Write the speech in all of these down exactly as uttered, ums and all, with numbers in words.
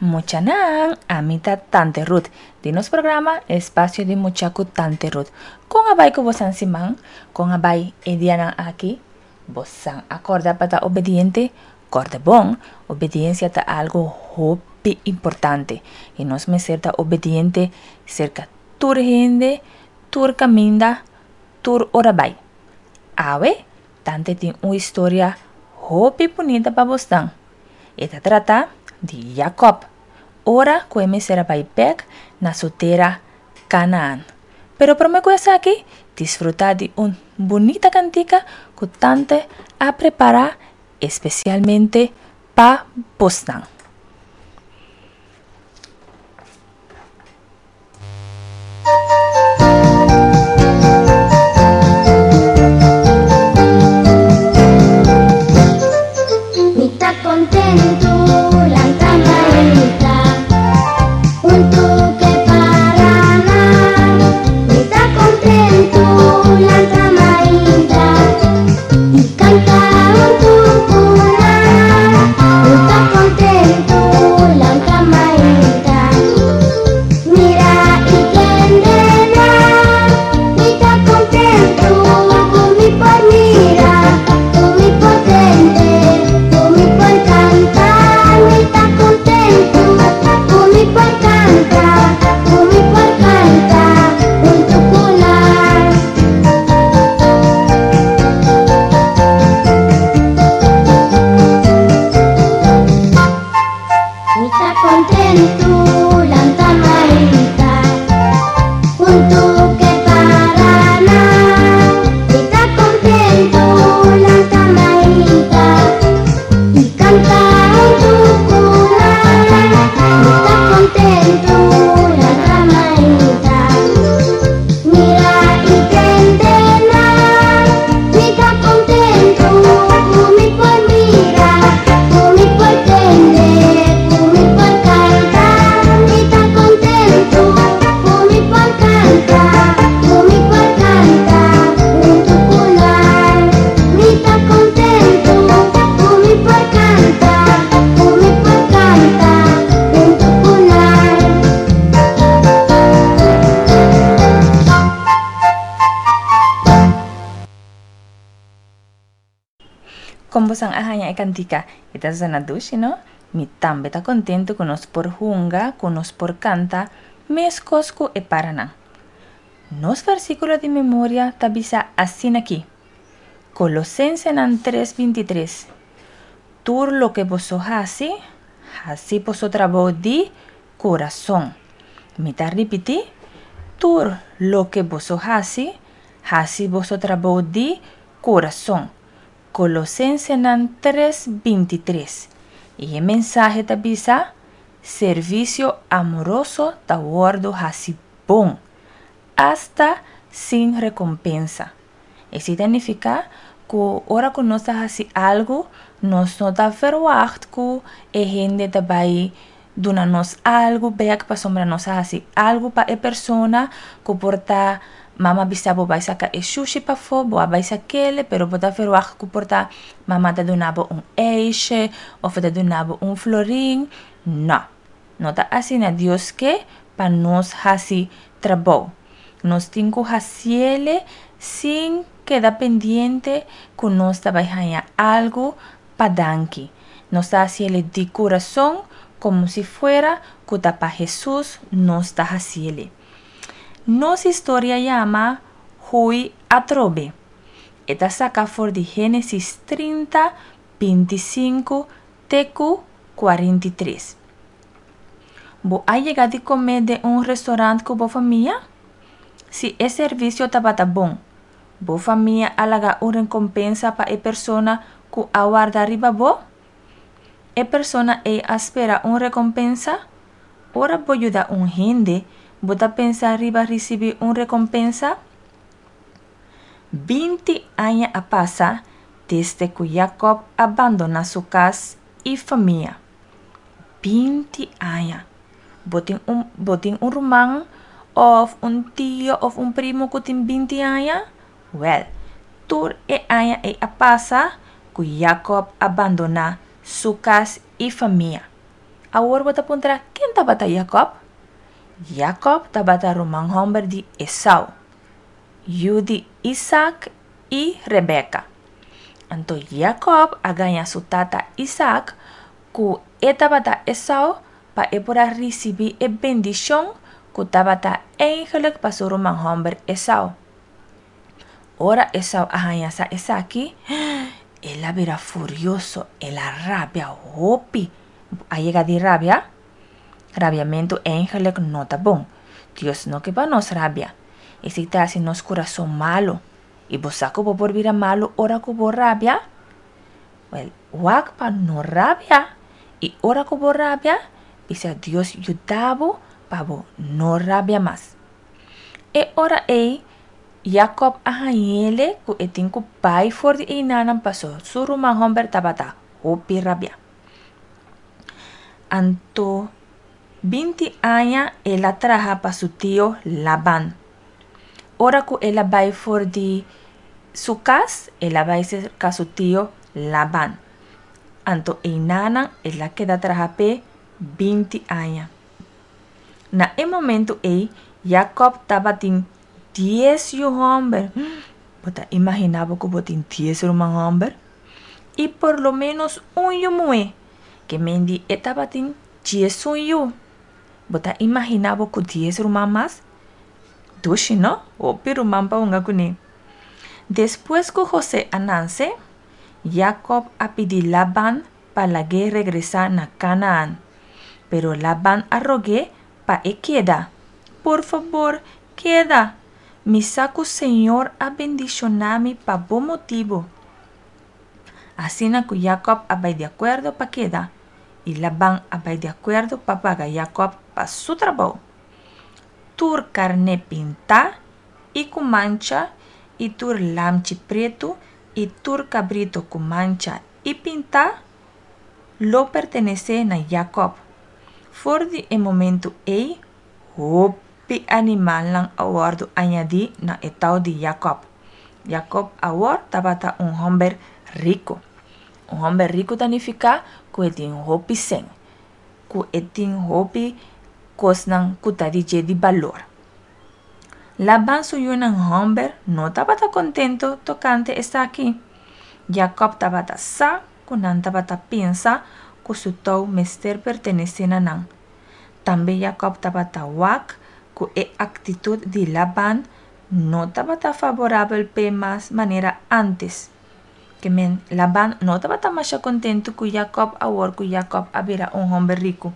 Muchanan, ami ta Tante Ruth. Di nos programa Espacio di Mucha ku Tante Ruth. Kon a bai ku bosan siman? Kon a bai e dianan aki? Bosan a kòrda pa ta obediente? Kòrda bon, obediensia ta algu hopi importante. I nos mester ta obediente serka tur hende, tur kaminda, tur ora bai. Awe, Tante tin un historia hopi bunita pa bosnan. E ta trata di Jakòb, ora ku e mester a bai bèk na su tera Kanaan. Pero promé ku esaki, disfrutá di un bunita kantika ku Tante a prepará espesialmente pa bosnan. Mi ta kontentu lanta mainta huntu ke paranan. Mi ta kontentu lanta mainta i kanta huntu ku nan. Mi ta kontentu lanta mainta mira i tende nan. Mi ta kontentu ku mi por mira, ku mi por tende, ku mi por kanta. Mi ta kontentu ku mi por kanta, ku mi por kanta huntu ku nan. Mi ta kontentu lanta mainta huntu ke paranan. Mi ta kontentu lanta mainta i kanta huntu ku nan. Mi ta kontentu lanta mainta mira i tende nan. Mi ta kontentu ku mi por mira, ku mi por tende, ku mi por kanta. Mi ta kontentu ku mi por kanta, ku mi por kanta huntu ku nan. Mi ta kontentu ku mi por kanta, ku mi por kanta huntu ku nan. Kon bosan a haña e kantika? E ta zona dushi, no? Mi tambe ta kontentu ku nos por hunga, ku nos por kanta meskos ku e paranan. Nos versíkulo di memoria ta bisa asin'aki, Kolosensenan tres binti tres, Tur loke boso hasi, hasi boso trabou di kurason. Mi ta ripití, Tur loke boso hasi, hasi boso trabou di kurason. Kolosensenan tres binti tres. I e mensahe ta bisa, Servisio amoroso ta wòrdu hasi bon, asta sin rekompensa. Esei ta nifiká ku ora ku nos ta hasi algu, nos no ta verwagt ku e hende ta bai duna nos algu bèk pasobra nos a hasi algu pa e persona ku por ta mama bisa bo bai saka e shushi pafó, bo a bai sak'el, pero bo ta verwagt ku por ta mama ta duna bo un ijsje òf ta duna bo un florin. Nò, no ta asina Dios ke pa nos hasi trabou. Nos tin ku hasiel sin keda pendiente ku nos ta bai haña algu pa danki. Nos ta hasiel di kurason komo si fuera ku ta pa Hesus nos ta hasiel. Nos historia yama Hui Atrobe. E ta saka for di Génesis trinta, binti sinku te ku kuarenta i tres. Bo a yega di kome den un restorant ku bo famia? Si e servisio tabata bon, bo famia a laga un rekompensa pa e persona ku a warda riba bo? E persona ei a spera un rekompensa? Ora bo yuda un hende, bo ta pensa riba risibí un rekompensa? Binti aña a pasa desde ku Jakòb a bandoná su kas i famia. Binti aña! Bo tin un, bo tin un ruman òf un tio òf un primo ku tin binti aña? Wèl, tur e aña ei a pasa ku Jakòb a bandoná su kas i famia. Awor bo ta puntra, ken tabata Jacob? Jacob tabata ruman hòmber di Esau, yu di Isaac i Rebecca. Anto Jacob a gaña su tata Isaac ku e tabata Esau pa e por a risibí e bendishon ku tabata eigenlijk pa su ruman hòmber Esau. Ora Esau a haña sa esaki, el a bira furioso, el a rabia hopi. A yega di rabia? Rabiamentu eigenlijk no ta bon. Dios no ke pa nos rabia. Esei ta hasi nos kurason malu. I bo sa ku bo por bira malu ora ku bo rabia? Wèl, wak pa no rabia. I ora ku bo rabia, bisa Dios yuda bo pa bo no rabia mas. E ora ei, Jacob a hañ'é ku e tin ku bai for di einan paso su ruman hòmber tabata hopi rabia. Anto binti aña el a traha pa su tio Laban. Ora ku el a bai for di su kas, el a bai serka su tio Laban. Anto einan el a keda traha p'e binti aña. Na e momento ei, Jacob tabatin dies yu hòmber. Bo ta imaginá bo ku bo tin dies ruman hòmber? I por lo ménos un yu muhé, ke men di e tabatin diesun yu. Bo ta imaginá bo ku dies ruman mas? Dushi, no? Hopi ruman pa hunga kuné. Despues ku José a nase, Jacob a pidi Laban pa lag'é regresá na Canaan. Pero Laban a rog'é pa e keda. "Por fabor, keda. Mi sa ku Señor a bendishoná mi pa bo motibu." Asina ku Jacob a bai di akuerdo pa keda, i Laban a bai di akuerdo pa paga Jacob pa su trabou. Tur karné pintá i ku mancha, i tur lamchi pretu, i tur kabritu ku mancha i pintá, lo pertenesé na Jacob. For di e momento ei, hopi animalnan a wòrdu añadí na e tou di Jacob. Jacob awor tabata un hòmber riku. Un hòmber riku ta nifiká ku e tin hopi sèn, ku e tin hopi kosnan ku ta di dje di balor. Laban su yunan hòmber no tabata kontentu tokante esaki. Jacob tabata sa ku nan tabata pensa ku su tou mester pertenesé na nan. Tambe Jacob tabata wak ku e aktitut di Laban no tabata favorabel p'e mas manera ántes. Ke men Laban no tabata masha kontentu ku Jacob awor ku Jacob a bira un hòmber riku.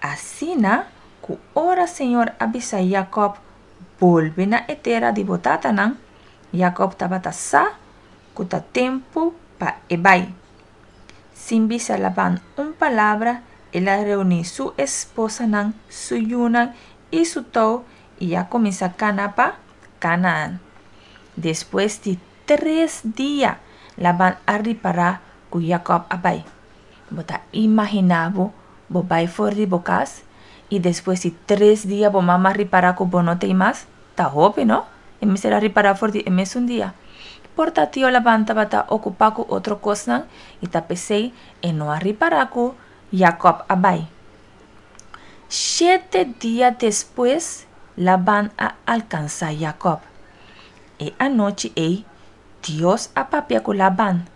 Asina ku ora Señor a bisa Jacob, "Bolbe na e tera di bo tatanan", Jacob tabata sa ku ta tempu pa e bai. Sin bisa Laban un palabra, el a reuní su esposanan, su yunan i su tou i a kuminsá kana pa Canaan. Despues di tres dia, Laban a ripará ku Jacob a bai. Bo ta imaginá bo, bo bai for di bo kas i despues di tres dia bo mama ripará ku bo no t'ei mas? Ta hopi, no? E mester a ripará for di e mesun dia. Por ta tio Laban tabata okupá ku otro kosnan i ta p'esei e no a ripará ku Jacob a bai. Shete dia despues, Laban a alkansá Jacob. E anochi ei, Dios a papia ku Laban: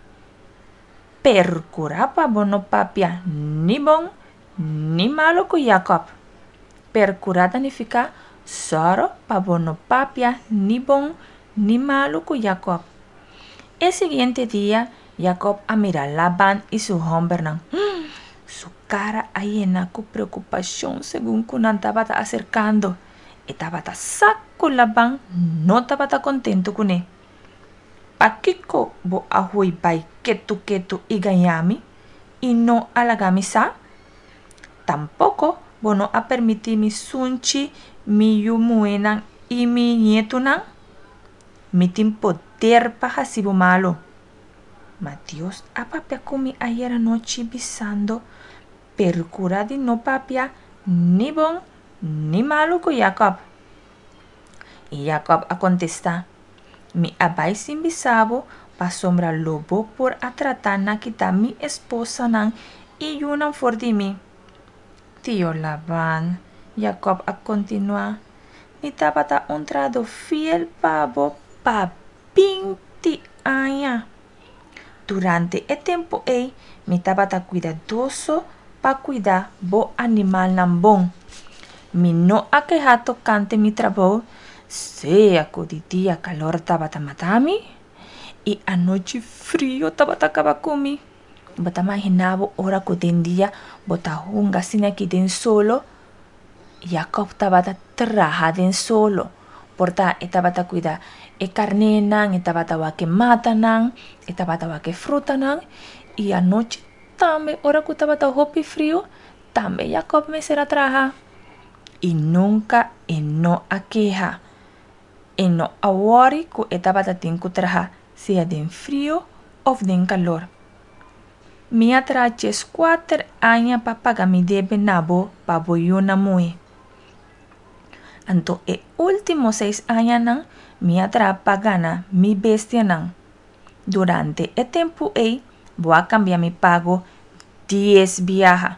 "Perkurá pa bo no papia ni bon ni malu ku Jacob." Perkurá ta nifiká sòru pa bo no papia ni bon ni malu ku Jacob. E siguiente dia, Jacob a mira Laban i su hòmbernan. Su kara a yena ku preokupashon segun ku nan tabata aserkando. E tabata sa ku Laban no tabata kontentu kuné. "Pakiko bo a hui bai ketu ketu i gaña mi, i no a laga mi sa? Tampoko bo no a permití mi sunchi mi yu muhénan i mi nietunan. Mi tin poder pa hasi bo malu. Ma Dios a papia ku mi ayera nochi bisando, 'Perkurá di no papia ni bon ni malu ku Jacob.'" I Jacob a kontestá: "Mi a bai sin bisa bo pasobra lo bo por a trata na kita mi esposanan i yunan for di mi." Tio Laban, Jacob a kontinuá, mi tabata un trahadó fiel pa bo pa binti aña. Durante e tempu ei mi tabata kuidadoso pa kuida bo animalnan bon. Mi no a keha tokante mi trabou, sea ku di dia kalor tabata mata mi i anochi frio tabata kaba ku mi. Bo ta imaginá bo ora ku den dia bo ta hunga asina aki den solo? Jacob tabata traha den solo. Por ta e tabata kuida e karnénan, e tabata wak e matanan, e tabata wak e frutanan i anochi tambe ora ku tabata hopi friu, tambe Jacob mester a traha. I nunka e no a keha. E no a wòri ku e tabata tin ku traha sea den friu òf den kalor. Mi a traha dieskuater aña pa paga mi debe na bo pa bo yunan muhé. Anto e último seis añanan mi a traha pa gana mi bestianan. Durante e tempu ei bo a kambia mi pago dies biaha.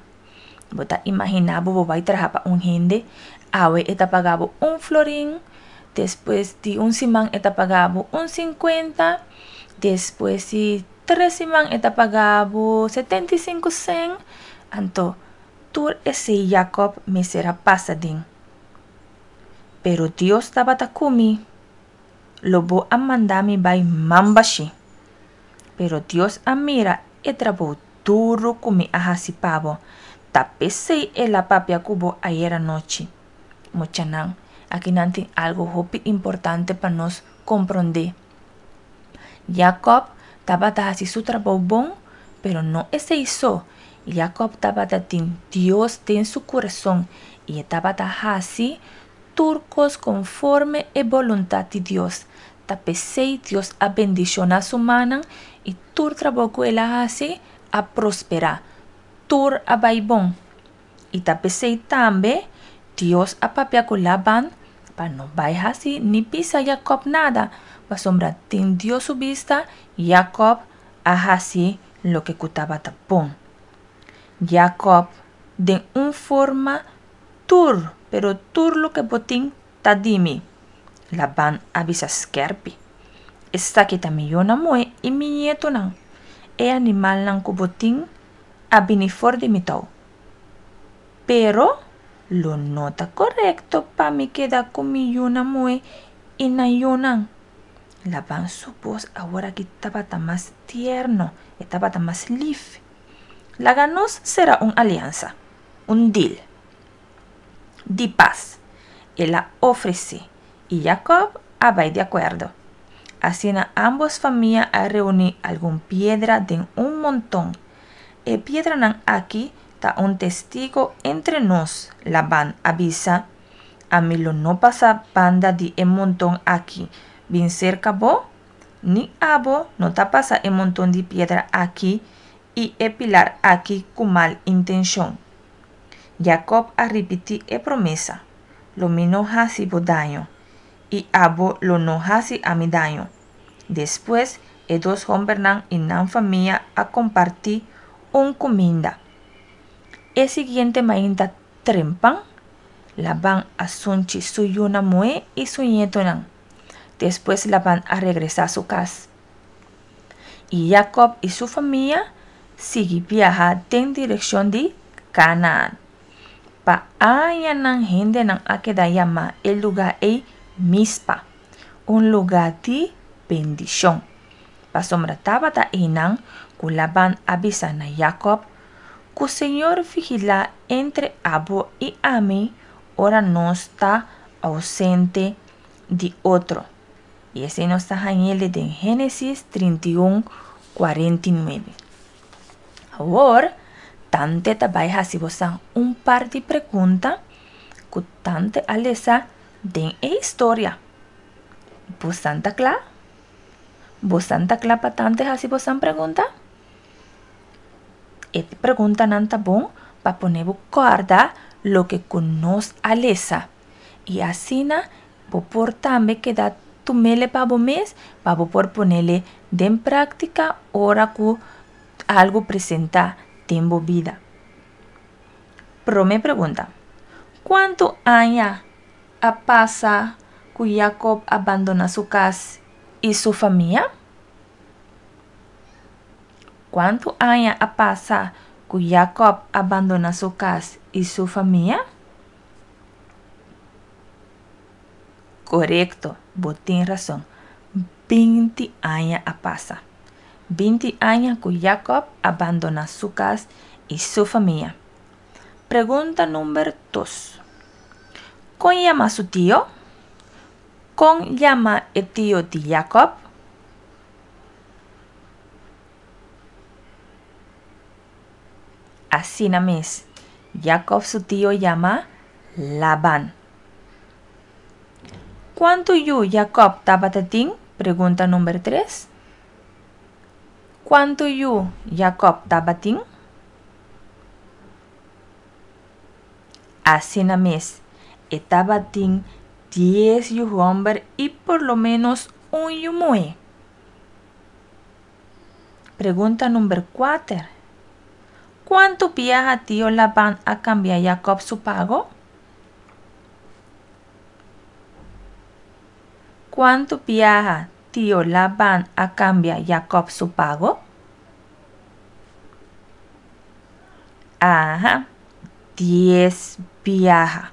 Bo ta imaginá bo bo bai traha pa un hende, awe e ta paga bo un florin, despues di un siman e ta paga bo un sinkuenta, despues di tres siman e ta paga bo setenta i sinku sèn. Anto tur esei Jakòb mester a pasa den. Pero Dios tabata ku mi. Lo bo a manda mi bai man bashí. Pero Dios a mira e trabou duru ku mi a hasi pa bo. Ta p'esei el a papia ku bo ayera nochi. Muchanan, akinan tin algu hopi importante pa nos komprondé. Jakòb tabata hasi su trabou bon, pero no esei so. Jakòb tabata tin Dios den su kurason i e tabata hasi tur kos konforme e boluntat di Dios. Ta p'esei Dios a bendishoná su mannan i tur trabou ku el a hasi a prosperá. Tur a bai bon. I ta p'esei tambe Dios a papia ku Laban pa no bai hasi ni bisa Jakòb nada, pasobra den Dios su bista Jakòb a hasi loke ku tabata bon. Jakòb, den un forma, tur, pero tur loke bo tin ta di mi, Laban a bisa skèrpi. Esaki ta mi yunan muhé i mi ñetunan. E animalnan ku bo tin a bini for di mi tou. Pero lo no ta korekto pa mi keda ku mi yunan muhé i nan yunan. Laban su bos aworaki tabata mas tierno, e tabata mas lif. Laga nos sera un aliansa, un deal di pas, el a ofresé, i Jakòb a bai di akuerdo. Asina ámbos famia a reuní algun piedra den un monton. E piedranan aki ta un testigo entre nos, Laban a bisa. Ami lo no pasa banda di e monton aki bin serka bo, ni abo no ta pasa e monton di piedra aki i e pilar aki ku mal intenshon. Jakòb a ripití e promesa, Lo mi no hasi bo daño, i abo lo no hasi ami daño. Despues e dos hòmbernan i nan famia a kompartí un kuminda. E siguiente mainta trempan, Laban a sunchi su yunan muhé i su ñetonan. Despues Laban a regresá su kas. I Jakòb i su famia sigui biaha den direkshon di Kanaan. Pa añanan hendenan a keda yama e lugá ei Mispa, un lugá di bendishon, pasobra tabata einan ku Laban a bisa na Jakòb, Ku Señor vigilá entre abo i ami ora nos ta ousente di otro. I esei nos ta hañ'el den Génesis trinta i un, kuarenta i nuebe. Awor, tante ta bai hasi bosan un par di pregunta ku tante a lesa den e historia. Bosan ta kla? Bosan ta kla pa tante hasi bosan pregunta? E preguntanan ta bon pa pone bo kòrda loke ku nos a lesa. I asina bo por tambe keda tum'ele pa bo mes pa bo por ponele den práktika ora ku algu presentá den bo bida. Promé pregunta. Kuantu aña a pasa ku Jacob a bandoná su kas i su famia? Kuantu aña a pasa ku Jacob a bandoná su kas i su famia? Korekto, bo tin rason. Binti aña a pasa. Binti aña ku Jacob a bandoná su kas i su famia. Pregunta number dos. Kon yama su tio? Kon yama e tio di Jacob? Asina mes, Jacob su tio yama Laban. Kuantu yu Jacob tabatin? Pregunta number tres. Kuantu yu Jacob tabatin? Asina mes, e tabatin dies yu hòmber i por lo ménos un yu muhé. Pregunta number kuater. Kuantu biaha tio Laban a kambia Jacob su pago? Kuantu biaha tio Laban a kambia Jacob su pago? Aha, dies biaha.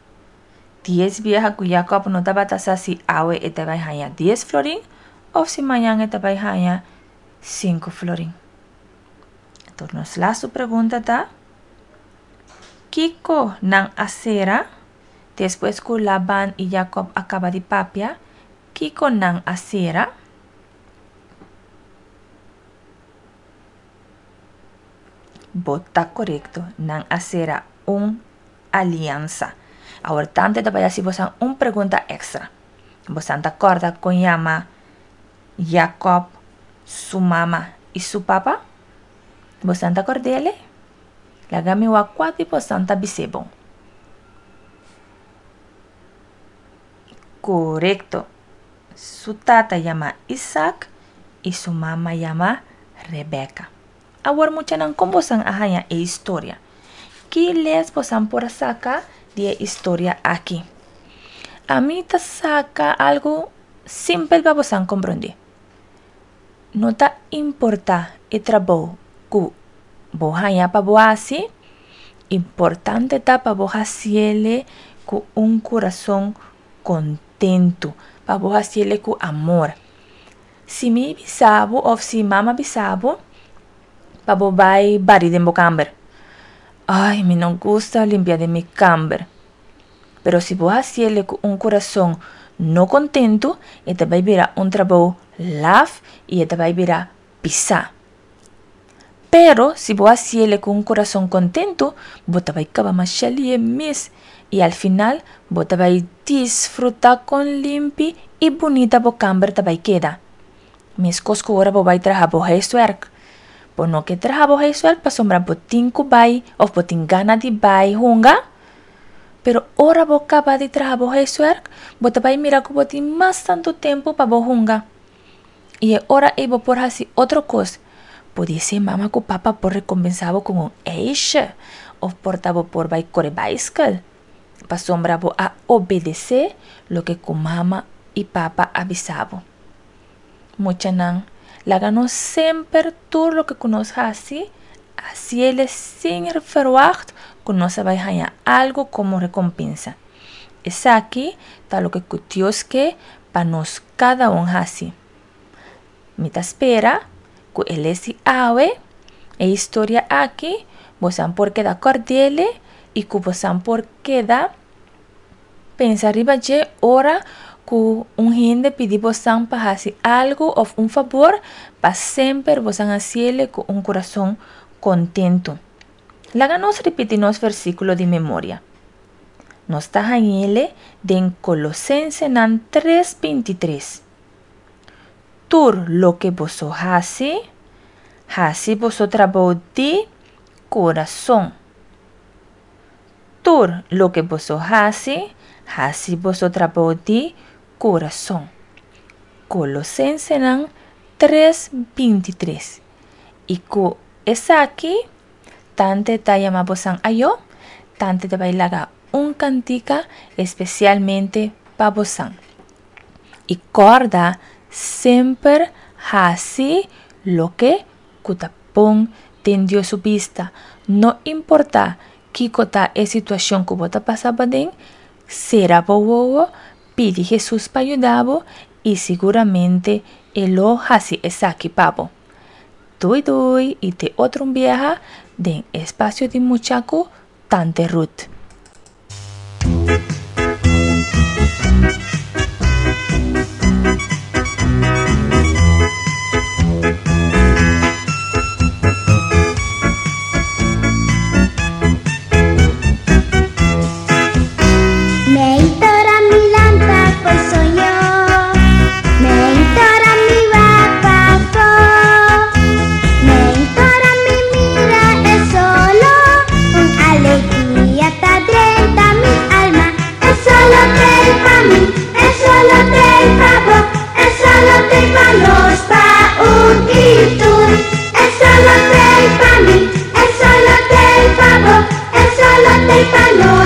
Dies biaha ku Jacob no tabata sa si awe e ta bai haña dies florin òf si mañan e ta bai haña sinku florin. Anto nos lastu pregunta ta, Kiko nan a sera? Despues ku Laban i Jacob a kaba di papia, kiko nan a sera? Bo ta korekto, nan a sera un aliansa. Awor tante ta bai hasi bosan un pregunta èkstra. Bosan ta kòrda kon yama Jacob su mama i su papa? Bosan ta kòrd'é? Laga mi wak kua di bosan ta bis'é bon. Korekto! Su tata yama Isaac i su mama yama Rebeka. Awor muchanan kon bosan a haña e historia? Ki les bosan por a saka di e historia aki? Ami ta saka algu simpel pa bosan komprondé. No ta importá e trabou ku bo haña pa bo hasi, importante ta pa bo hasiele ku un kurason kontentu, pa bo hasiele ku amor. Si mi bisa bo òf si mama bisa bo pa bo bai bari den bo kamber, ay mi no gusta limpia den mi kamber. Pero si bo hasiele ku un kurason no kontentu, e ta bai bira un trabou laf i e ta bai bira pisá. Pero si bo hasiele ku un kurason kontentu, bo ta bai kaba masha lihe mes i al final bo ta bai disfrutá kon limpi i bunita bo kamber ta bai keda. Meskos ku ora bo bai traha bo huiswerk. Bo no ke traha bo huiswerk pasobra bo tin ku bai òf bo tin gana di bai hunga. Pero ora bo kaba di traha bo huiswerk, bo ta bai mira ku bo tin mas tantu tempu pa bo hunga. I e ora ei bo por hasi otro kos. Podisé mama ku papa por rekompensá bo ku un ijsje òf por ta bo por bai kore baiskel pasobra bo a obedesé loke ku mama i papa a bisa bo. Muchanan, laga nos semper tur loke ku nos hasi, hasiele sin ferwagt ku nos a bai haña algu komo rekompensa. Esaki ta loke ku Dios ke pa nos kada un hasi. Mi ta spera ku e les di awe, e historia aki, bosan por keda kòrd'ele i ku bosan por keda pensa riba dje ora ku un hende pidi bosan pa hasi algu òf un fabor, pa semper bosan hasiele ku un kurason kontentu. Laga nos ripití nos versíkulo di memoria. Nos ta hañ'ele den Kolosensenan tres binti tres. Tur loke boso hasi, hasi boso trabou di kurason. Tur loke boso hasi, hasi boso trabou di kurason. Kolosensenan tres binti tres. I ku esaki, tante ta yama bosan ayo, Tante ta bai laga un kantika espesialmente pa boso. I kòrda semper hasi loke ku ta bon den Dios su bista. No importá kiko ta e situashon ku bo ta pasa paden, sera bo wowo, pidi Hesus pa yuda bo i siguramente e lo hasi esaki pa bo. Doei doei i te otro biaha den Espasio di Mucha ku Tante Ruth. Meitora mi lanta fo'i soño, meitora mi wak pafó, meitora mi mira e solo, un alegria ta drenta mi alma. E solo t'ei pa mi, e solo t'ei pa bo, e solo t'ei pa nos, pa un i tur. E solo t'ei pa mi, e solo t'ei pa bo, e solo t'ei pa nos.